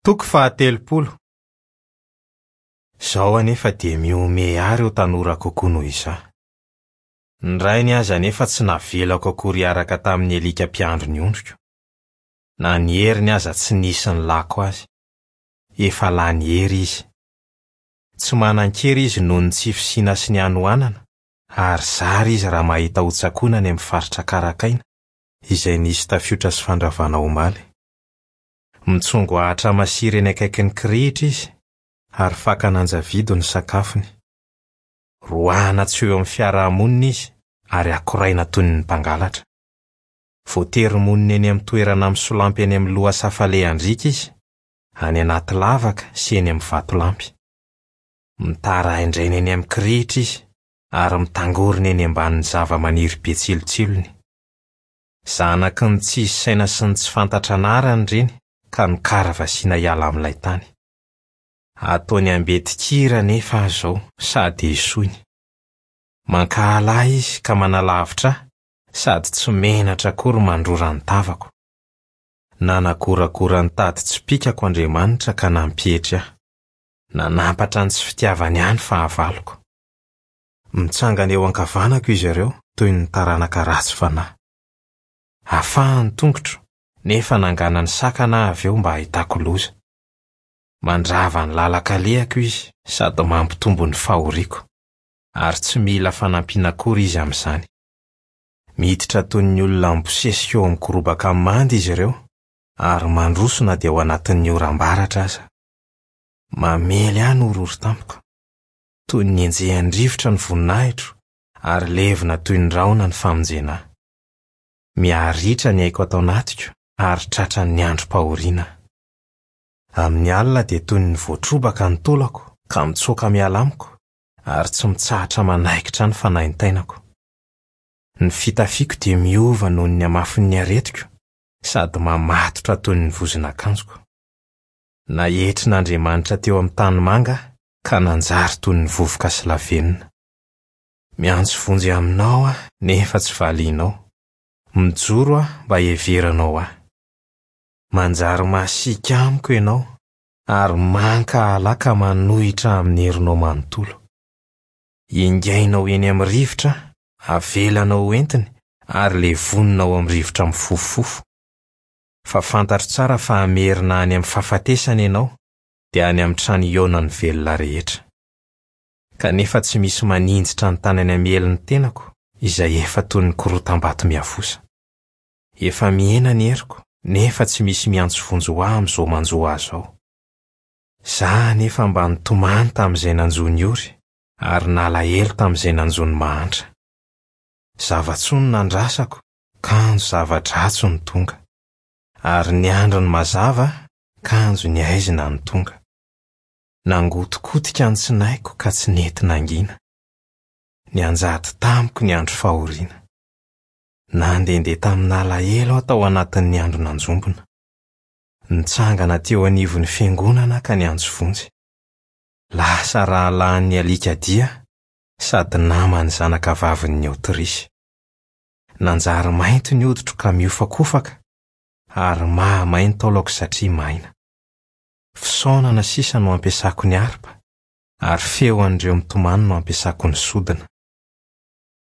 Toko faha-30. Izao anefa dia mihomehy ahy ireo tanora kokoa noho izaho. Ny rainy aza anefa tsy navelako akory hiaraka tamin'ny alika mpiandry ny ondriko. Na ny heriny aza tsy nisy nilako azy. Efa lany hery izy. Tsy manan-kery izy noho ny tsy fisiana sy ny hanoanana, ary zara izy raha mahita hotsakoina any amin'ny faritra karakaina, izay nisy tafiotra sy fandravana omaly. Mitsongo ahitra masira eny akaikin'ny kirihitra izy ary fakana anjavido ny sakafony. Roahana tsy ho eo amin'ny fiarahamonina izy ary akoraina toy ny mpangalatra. Voatery monina eny amin'ny toerana misolampy eny amin'ny lohasaha falehan-driaka izy, any anaty lavaka sy eny amin'ny vatolampy. Mitaraindraina eny amin'ny kirihitra izy ary mitangorona eny ambanin'ny zavamaniry be tsilotsilony. Zanaky ny tsisy saina sy ny tsy fantatra anarana ireny ka nokaravasiana hiala amin'ilay tany. Ataony ambetin-kira anefa aho izao sady esoiny. Mankahala ahy izy ka manalavitra ahy sady tsy menatra akory mandrora ny tavako. Nanagoragora ny tady tsipìkako Andriamanitra ka nampietry ahy. Nanampatra ny tsy fitiavany ahy ny fahavaloko. Mitsangana eo ankavanako izy ireo toy ny taranaka ratsy fanahy. Afaha ny tongotro, nefa nanganany sakana aho avy eo mba hahitako loza. Mandrava ny lalan-kalehako izy sady mampitombo ny fahoriako, ary tsy mila fanampiana akory izy amin'izany. Miditra toy ny olona mibosesika eo amin'ny gorobaka manda izy ireo, ary mandroso na dia ao anatin'ny oram-baratra aza. Mamely ahy ny horohoro tampoka. Toy ny enjehan'ny rivotra ny voninahitro, ary levona toy ny rahona ny famonjena ahy. Miha-ritra ny aiko ato anatiko, ary tratran'ny androm-pahoriana aho. Amin'ny alina dia toy ny voatrobaka ny taolako ka mitsoaka miala amiko, ary tsy mitsahatra manaikitra ny fanaintainako. Ny fitafiako dia miova noho ny hamafin'ny aretiko, sady mamatotra toy ny vozon'akanjoko. Naetrin'Andriamanitra teo amin'ny tanimanga aho ka nanjary toy ny vovoka sy lavenona. Miantso vonjy aminao aho nefa tsy valianao. Mijoro aho mba hiheveranao ahy. Manjary masiaka amiko ianao ary mankahala ahy ka manohitra ahy amin'ny herinao manontolo. Ingainao eny amin'ny rivotra aho, avelanao ho entiny ary levonina ao amin'ny rivotra mifofofofo. Fa fantatro tsara fa hamerina any amin'ny fahafatesana ianao, dia any amin'ny trano hihaonan'ny velona rehetra. Kanefa tsy misy maninjitra ny tanany hamely ny tenako, izay efa toy ny korotam-bato miavosa. Efa mihena ny heriko, nefa tsy misy miantso vonjy ho ahy amin'izao manjo ahy izao. Izaho anefa mba nitomany tamin'izay nanjo ny ory, ary nalahelo tamin'izay nanjo ny mahantra. Zava-tsoa no nandrasako, kanjo zava-dratsy no tonga. Ary niandry ny mazava aho, kanjo ny haizina no tonga. Nangotikotika ny tsinaiko ka tsy nety nangina. Nianjady tamiko ny andro fahoriana. Nandehandeha tamin'alahelo aho tao anatin'ny andro nanjombona. Nitsangana teo anivon'ny fiangonana aho ka niantso vonjy. Lasa rahalahin'ny alikadia sady naman'ny zanakavavin'ny Aotrisy. Nanjary mainty ny hoditro ka miofakofaka ary mahamay ny taolako satria maina. Fisaonana sisa no ampiasako ny harpa ary feo an'ireo mitomany no ampiasako ny sodina.